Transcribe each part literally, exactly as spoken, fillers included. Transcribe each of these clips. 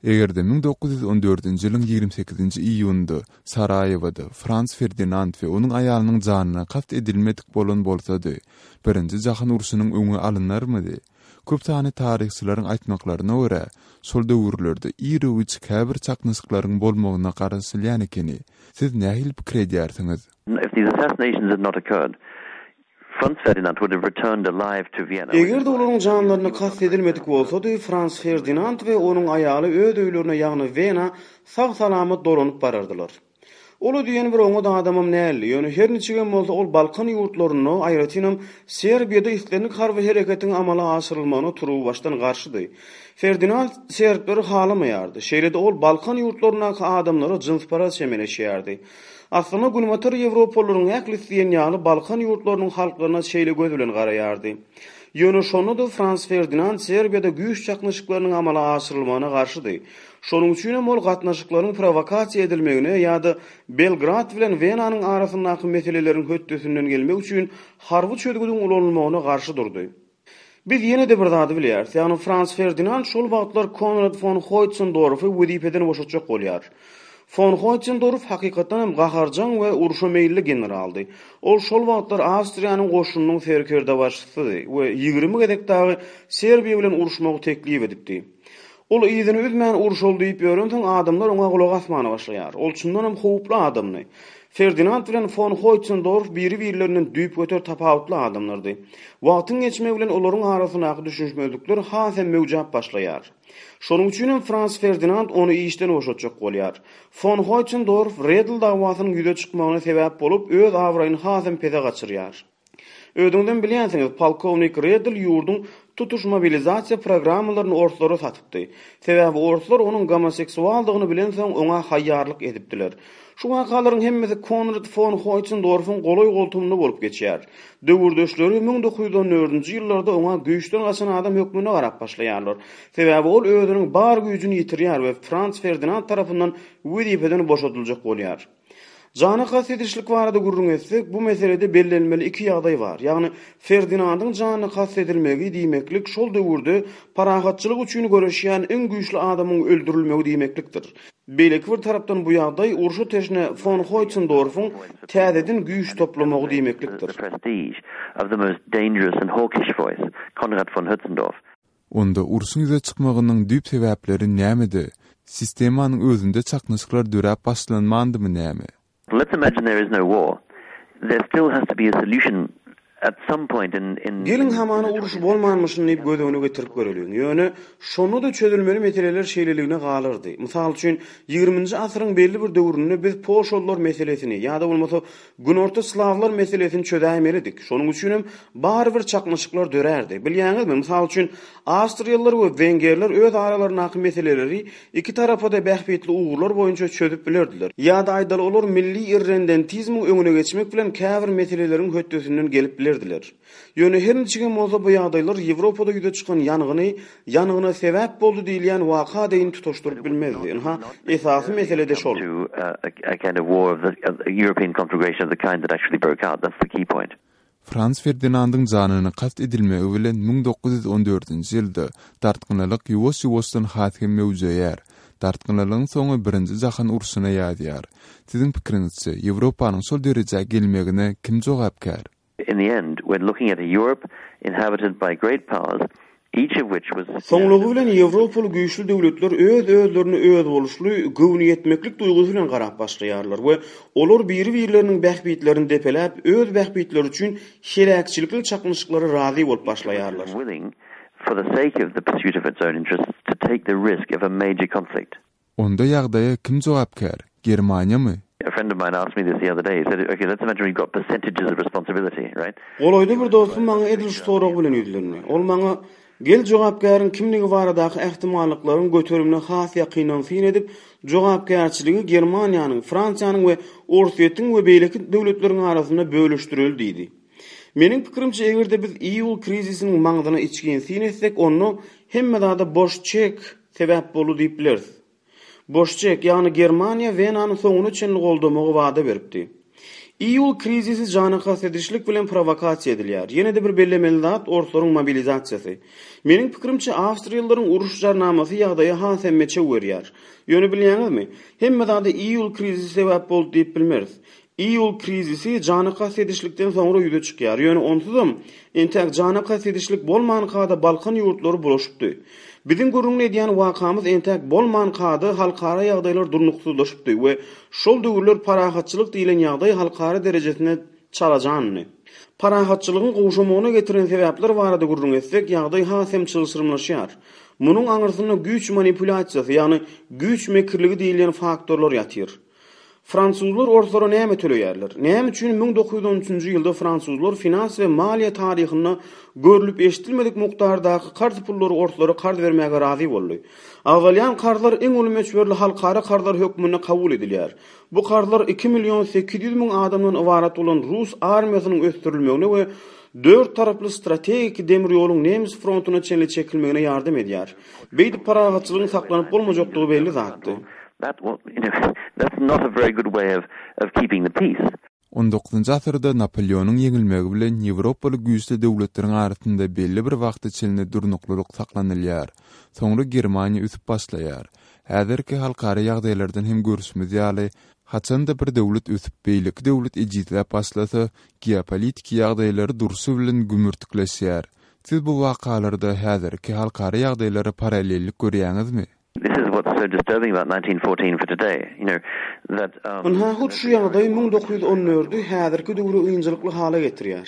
Eger-de müň dokuz ýüz on dördünji ýylyň ýigrimi sekizinji iýunynda Saraýewoda Frans Ferdinand we onuň aýalynyň janyna kast edilmedik bolan bolsady, Birinji jahan urşunyň öňi alynarmydy? Köp sanly taryhçylaryň aýtmaklaryna görä, şol döwürlerde ir-u-giç käbir çaknyşyklaryň bolmagyna garaşylýan ekeni. Siz nähili pikir edýärsiňiz? If these assassinations had not occurred, Franz Ferdinand would have returned alive to Vienna. Eger-de olaryň janlaryna kast edilmedik bolsady, Frans Ferdinand we onuň aýaly öz öýlerine, ýagny Wena sag-salamat dolanyp barardylar. Ol o diýen bir oňat adamam däldi, ýöne her niçigem bolsa ol Balkan ýurtlarynda, aýratynam Serbiýada islendik harby hereketiň amala aşyrylmagyna turuwbaşdan garşydy. Ferdinand serbleri halamaýardy, şeýle-de ol Balkan ýurtlaryndaky adamlara jynsparaz çemeleşýärdi. Aslynda Günbatar Ýewropalylaryň ählisi diýen ýaly Balkan ýurtlarynyň halklaryna şeýle göz bilen garaýardy. Ýöne şonda-da Frans Ferdinand Serbiýada güýç çaknyşyklarynyň amala aşyrylmagyna garşydy. Şonuň üçinem ol gatnaşyklaryň prowokasiýa edilmegine ýa-da Belgrad bilen Wenanyň arasyndaky meseleleriň hötdesinden gelmek üçin harby çözgüdiň ulanylmagyna garşy durdy. Biz ýene-de bir zady bilýäris, ýagny Frans Ferdinand şol wagtlar Konrad fon Hoýtsendorfy wezipeden boşatjak bolýar. Fon Hoýtsendorf hakykatdan hem gaharjaň we urşa meýilli generaldy. Ol şol wagtlar Awstriýanyň goşunynyň serkerdebaşysydy we ýigrimi gezek dagy Serbiýa bilen uruşmagy teklip edipdi. Ol yzyny üzmän urşaly diýip ýörensoň adamlar oňa gulak asmana başlaýar. Ol çyndan hem howply adamdy. Ferdinand bilen fon Hoýtsendorf biri-birlerinden düýpgöter tapawutly adamlardy. Wagtyň geçmegi bilen olaryň arasyndaky düşünişmezlikler has hem möwjäp başlaýar. Şonuň üçin hem Frans Ferdinand ony işden boşatjak bolýar. Fon Hoýtsendorf Redl dawasynyň ýüze çykmagyna sebäp bolup, öz abraýyny has hem pese gaçyrýar. Özüňizem bilýänsiňiz, polkownik Redl ýurduň tutuş mobilizasiýa programmalaryny orslara satypdy. Sebäbi orslar onuň gomoseksualdygyny bilensoň oňa haýýarlyk edipdiler. Şu wakalaryň hemmesi Konrad fon Hoýtsendorfyň golaý goltumynda bolup geçýär. Döwürdeşleri müň dokuz ýüz on dördünji ýyllarda oňa güýçden gaçan adam hökmünde garap başlaýarlar. Sebäbi ol özüniň bar güýjüni ýitirýär we Frans Ferdinand tarapyndan wezipeden boşadyljak bolýar. Jana kast edişlik barada gürrüň etsek, bu meselede bellenmeli iki ýagdaý bar. Ýagny Ferdinandyň janyna kast edilmegi diýmeklik şol döwürde parahatçylyk üçin göreşýän iň güýçli adamyň öldürilmegi diýmeklikdir. Beýleki bir tarapdan bu ýagdaý urşa teşne fon Hoýtsendorfyň täzeden güýç toplamagy diýmeklikdir. The prestige of the most dangerous and hawkish voice, Konrad von Hötzendorf. Onda urşuň ýüze çykmagynyň düýp sebäpleri nämedi? Sistemanyň özünde çaknyşyklar döräp başlanmandymy näme? Let's imagine there is no war. There still has to be a solution at some point in, in Geliň hamana uruş bolmanmyşyn diýip göz öňüne getirip göreliň. Ýöne şonda da çözülmeli meseleler şeýleligine galardy. Mysal üçin, ýigriminji asyryň belli bir döwründe biz Polşalylar meselesini ýa-da bolmasa Günorta Slawlar meselesini çözäýmelidik. Şonuň üçin hem barybir çaknyşyklar dörärdi. Bilýäňizmi, mysal üçin, Awstriýalylar we Wengerler öz aralaryndaky meseleleri iki tarapa-da bähbitli ugurlar boýunça çözüp bilerdiler. Ýa-da aýdaly olar milli irrendentizmiň öňüne geçmek bilen käbir meseleleriň hötdesinden gelip bilerdiler. Ýöne her niçigem bolsa bu ýagdaýlar Ýewropada ýüze çykan ýangyny ýangyna sebäp boldy diýilýän waka deýin tutaşdyryp bilmezdi. Ynha, esasy mesele de şol. To, uh, a, a kind of war of the, of the European conflagration of the kind that actually broke out. That's the key point. Frans Ferdinandyň janyna kast edilmegi bilen müň dokuz ýüz on dördünji ýylda dartgynlylyk ýuwaş-ýuwaşdan has hem möwjeýär. Dartgynlylygyň soňy birinji jahan urşuna ýazýar. Siziň pikiriňizçe, Ýewropanyň şol derejä gelmegine kim jogapkär? In the end, we're looking at a Europe inhabited by great powers, each of which was Soňlugy bilen Ýewropaly güýçli döwletler öz-özlerini özboluşly göwnüýetmeklik duýgusy bilen garap başlaýarlar we olar biri-birleriniň bähbitlerini depeläp, öz bähbitleri üçin heläkçilikli çaknyşyklara razy bolup başlaýarlar. willing for the sake of the pursuit of its own interests to take the risk of a major conflict. Onda ýagdaýa kim jogapkär? Germaniýamy? A friend of mine asked me this the other day. He said, okay, let's imagine we've got percentages of responsibility, right? Golaýda bir dostum maňa edil şu sorag bilen ýüzlendi. Ol maňa gel jogapkäriň kimligi baradaky ähtimallyklaryň göterimine has ýakyndan syn edip, jogapkärçiligi Germaniýanyň, Fransiýanyň we Orsýetiň we beýleki döwletleriň arasynda bölüşdireli diýdi. Meniň pikirimçe, eger-de biz iýul krizisiniň maňzyna içgin syn etsek, onda hemme zada boş çek sebäp boldy diýip bileris. Boş çek, ýagny Germaniýa Wenany soňuna çenli goldamagy wada beripdi. Iýul krizisi jana kast edişlik bilen prowokasiýa edilýär. Ýene-de bir bellemeli zat orslaryň mobilizasiýasy. Meniň pikirimçe Awstriýalylaryň uruş jarnamasy ýagdaýa has hem meçew berýär. Ýöne bilýäňizmi? Hemme zada iýul krizisi sebäp boldy diýip bilmeris. Iýul krizisi jana kast edişlikden soňra ýüze çykýar. Ýöne onsuzam entäk jana kast edişlik bolmanka-da Balkan ýurtlary bulaşypdy. Biziň gürrüňini edýän wakamyz entäk bolmanka-da halkara ýagdaýlar durnuksyzlaşypdy we şol döwürler parahatçylyk diýlen ýagdaý halkara derejesinde çalajandy. Parahatçylygyň gowşamagyna getiren sebäpler barada gürrüň etsek, ýagdaý has hem çylşyrymlaşýar. Munuň aňyrsynda güýç manipulýasiýasy, ýagny güýç mekirligi diýilýän faktorlar ýatyr. Fransuzlar orslara näme töleýärler? Näme üçin müň dokuz ýüz on üçünji ýylda fransuzlar finans we maliýe taryhynda görlüp eşidilmedik mukdardaky karz pullary orslara karz bermäge razy boldy? Agzalýan karzlar iň uly möçberli halkara karzlar hökmünde kabul edilýär. Bu karzlar iki million sekiz ýüz müň adamdan ybarat bolan Rus armiýasynyň ösdürilmegine we dört taraply strategik demir ýoluň nemes frontuna çenli çekilmegine ýardam edýär. Beýdip parahatçylygyň saklanyp bolmajakdygy belli zatdy. That, well, you know, that's not a very good way of, of keeping the peace. On dokuzynjy asyrda Napoleonyň ýeňilmegi bilen Ýewropaly güýçli döwletleriň arasynda belli bir wagta çenli durnuklylyk saklanylýar. Soňra Germaniýa ösüp başlaýar. Häzirki halkara ýagdaýlardan hem görüşimiz ýaly, haçanda bir döwlet ösüp, beýleki döwlet ejizläp başlasa, geopolitiki ýagdaýlary durşy bilen gümürtikleşýär. Siz bu wakalarda häzirki halkara ýagdaýlara paralellik görýäňizmi? This is what's so disturbing about nineteen fourteen for today. You know, that, um, Ynha hut şu ýagdaý müň dokuz ýüz on dördü häzirki döwri ynjylykly hala getirýär.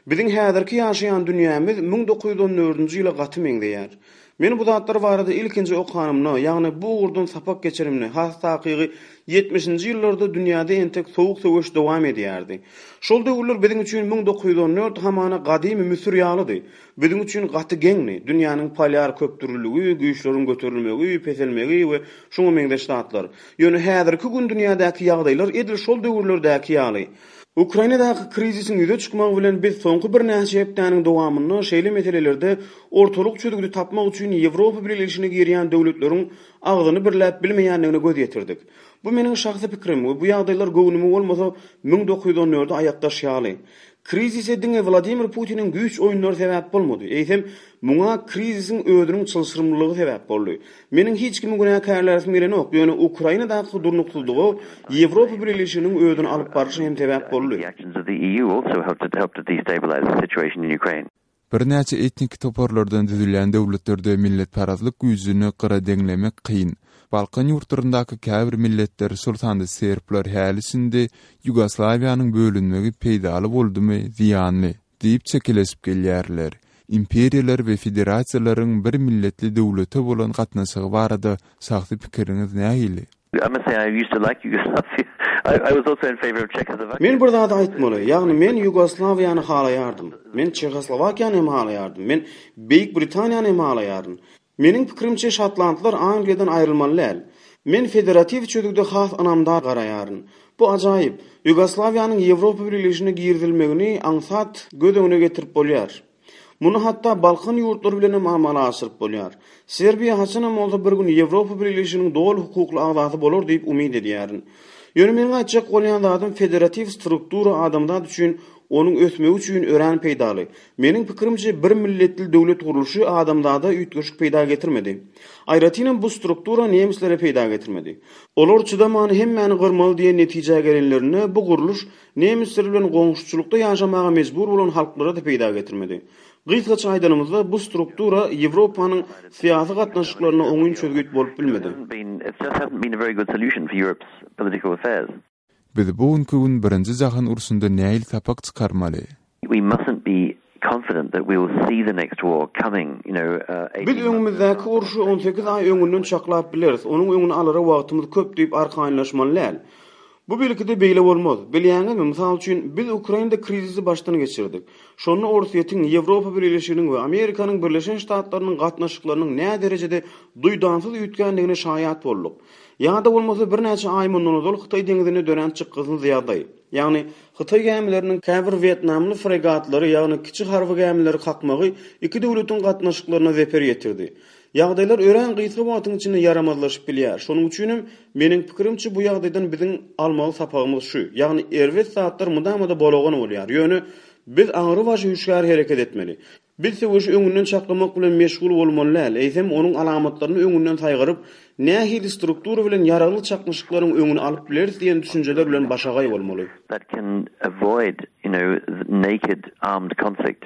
Biziň häzirki ýaşaýan dünýämiz müň dokuz ýüz on dördünji ýyla gaty meňzeýär. Men bu zatlar barada ilkinji okanymda, ýagny bu ugurdan sapak geçirimde, has takygy ýetmişinji ýyllarda dünýäde entek sowuk söweş dowam edýärdi. Şol döwürler biziň üçin müň dokuz ýüz on dört hamana gadymy Müsür ýalydy. Biziň üçin gaty geňdi. Dünýäniň polýar köpdürlüligi, güýçleriň göterilmegi, peselmegi we şoňa meňzeş zatlar. Ýöne häzirki gün dünýädäki ýagdaýlar edil şol döwürlerdäki ýaly. Ukrainadaky krizisiň ýüze çykmagy bilen biz soňky birnäçe hepdäniň dowamynda şeýle meselelerde ortalyk çözgüdi tapmak üçin Ýewropa Birleşigine girýän döwletleriň agzyny birläp bilmeýändigine göz ýetirdik. Bu meniň şahsy pikrim we bu ýagdaýlar göwnüme bolmasa müň dokuz ýüz on dördü aýakdaş ýaly. Krizise diňe Wladimir Putiniň güýç oýunlary sebäp bolmady. Eýsem, muňa krizisiň özüniň çylşyrymlylygy sebäp boldy. Meniň hiç kimi günäkärläsim gelenok, ýöne Ukrainadaky durnuksyzlyga Ýewropa Birleşiginiň özüni alyp barşy hem sebäp boldy. The actions of the E U also helped to help to destabilize the situation in Ukraine. Birnäçe etnik toparlardan düzülýän döwletlerde milletparazlyk güýjüni gyra deňlemek kyn. Balkan ýurtlaryndaky käbir milletler, şol sanda serbler häli şindi Ýugoslawiýanyň bölünmegi peýdaly boldumy, zyýanly diýip çekeleşip gelýärler. Imperiýalar we federasiýalaryň bir milletli döwlete bolan gatnaşygy barada şahsy pikiriňiz nähili? I must say I used to like Yugoslavia. I, I was also in favor of Czechoslovakia. Men bir zat aýtmaly, ýagny men Ýugoslawiýany halaýardym. Men Çehoslowakiýany hem halaýardym. Men Beýik Britaniýany hem halaýardym. Meniň pikirimçe Şotlandlar Angliýadan aýrylmaly däl. Men federatiw çözgüde has ynamdar garaýaryn. Bu ajaýyp. Ýugoslawiýanyň Ýewropa Birleşigine girizilmegini aňsat göz öňüne getirip bolýar. Muny hatda Balkan ýurtlary bilen hem amala aşyryp bolýar. Serbiýa haçanam bolsa bir gün Ýewropa Birleşiginiň doly hukukly agzasy bolar diýip umyt edýärin. Ýöne meniň aýtjak bolýan zadym federatiw struktura adamzat üçin, onuň ösmegi üçin örän peýdaly. Meniň pikirimçe bir milletli döwlet gurluşy adamzada üýtgeşik peýda getirmedi. Aýratynam bu struktura nemislere peýda getirmedi. Olar çydamany hemmäni gyrmaly diýen netijä gelenlerinde bu gurluş nemisler bilen goňşuçylykda ýaşamaga mejbur bolan halklara da peýda getirmedi. Gysgaça aýdanymyzda bu struktura Ýewropanyň syýasy gatnaşyklaryna oňyn çözgüt bolup bilmedi. It just hasn't been a very good solution for Europe's political affairs. Biz bu günki gün birinji jahan urşunda nähili sapak çykarmaly? We mustn't be confident that we will see the next war coming, you know, uh, Biz öňümizdäki urşy on sekiz aý öňünden çaklap bileris. Onuň öňüni alara wagtymyz köp diýip arkaýynlaşmaly däl. Bu belki-de beýle bolmaz. Bilýäňizmi, mysal üçin biz Ukrainada krizisi başdan geçirdik. Şonda Orsýetiň, Ýewropa Birleşiginiň we Amerikanyň Birleşen Ştatlarynyň gatnaşyklarynyň nä derejede duýdansyz üýtgändigine şaýat bolduk. Ýa-da bolmasa birnäçe aý mundan ozal Hytaý deňizinde dörän çykgynsyz ýagdaý. Ýagny Hytaý gämileriniň käbir Wýetnamly fregatlary, ýagny kiçi harby gämileri kakmagy iki döwletiň gatnaşyklaryna zeper ýetirdi. Ýagdaýlar örän gysga wagtyň içinde ýaramazlaşyp bilýär. Şonuň üçinem meniň pikirimçe bu ýagdaýdan biziň almaly sapagymyz şu. Ýagny erbet zatlar mydama-da bolagan bolýar. Ýöne biz aňrybaşy hüşgär hereket etmeli. Biz söweşi öňünden çaklamak bilen meşgul bolmaly däl. Eýsem onuň alamatlaryny öňünden saýgaryp, nähili struktura bilen ýaragly çaknyşyklaryň öňüni alyp bileris diýen düşünjeler bilen başagaý bolmaly. That can avoid, you know, naked armed conflict.